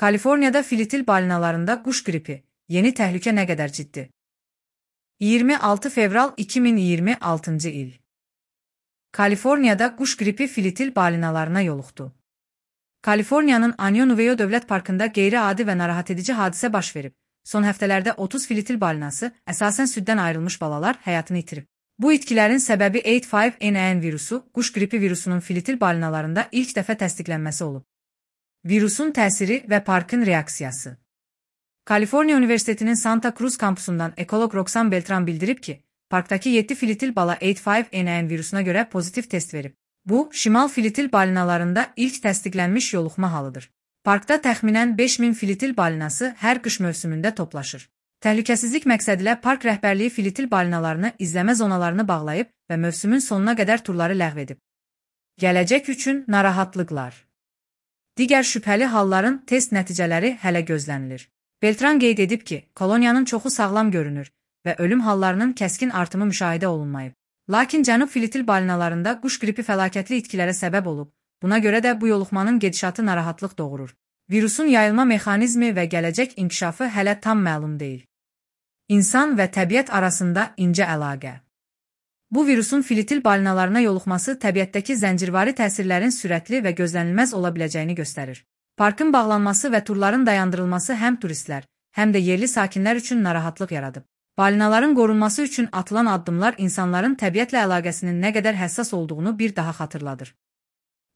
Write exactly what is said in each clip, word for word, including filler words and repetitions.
Kaliforniyada filitil balinalarında quş qripi, yeni təhlükə nə qədər ciddi? iyirmi altı fevral iki min iyirmi altıncı il. Kaliforniyada quş qripi filitil balinalarına yoluxdu. Kaliforniyanın Anyo-Nuveyo Dövlət Parkında qeyri-adi və narahat edici hadisə baş verib. Son həftələrdə otuz filitil balinası, əsasən süddən ayrılmış balalar, həyatını itirib. Bu itkilərin səbəbi H five N one virusu, quş qripi virusunun filitil balinalarında ilk dəfə təsdiqlənməsi olub. Virusun təsiri və parkın reaksiyası. Kaliforniya Universitetinin Santa Cruz kampusundan ekoloq Roxanne Beltran bildirib ki, parkdakı yeddi filitil bala H five N one virusuna görə pozitiv test verib. Bu, şimal filitil balinalarında ilk təsdiqlənmiş yoluxma halıdır. Parkda təxminən beş min filitil balinası hər qış mövsümündə toplaşır. Təhlükəsizlik məqsədilə park rəhbərliyi filitil balinalarını izləmə zonalarını bağlayıb və mövsümün sonuna qədər turları ləğv edib. Gələcək üçün narahatlıqlar. Digər şübhəli halların test nəticələri hələ gözlənilir. Beltran qeyd edib ki, koloniyanın çoxu sağlam görünür və ölüm hallarının kəskin artımı müşahidə olunmayıb. Lakin cənub filitil balinalarında quş qripi fəlakətli itkilərə səbəb olub. Buna görə də bu yoluxmanın gedişatı narahatlıq doğurur. Virusun yayılma mexanizmi və gələcək inkişafı hələ tam məlum deyil. İnsan və təbiət arasında incə əlaqə. Bu virusun filitil balinalarına yoluxması təbiətdəki zəncirvari təsirlərin sürətli və gözlənilməz ola biləcəyini göstərir. Parkın bağlanması və turların dayandırılması həm turistlər, həm də yerli sakinlər üçün narahatlıq yaradıb. Balinaların qorunması üçün atılan addımlar insanların təbiətlə əlaqəsinin nə qədər həssas olduğunu bir daha xatırladır.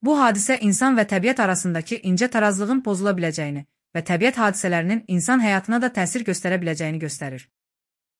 Bu hadisə insan və təbiət arasındakı incə tarazlığın pozula biləcəyini və təbiət hadisələrinin insan həyatına da təsir göstərə biləcəyini göstərir.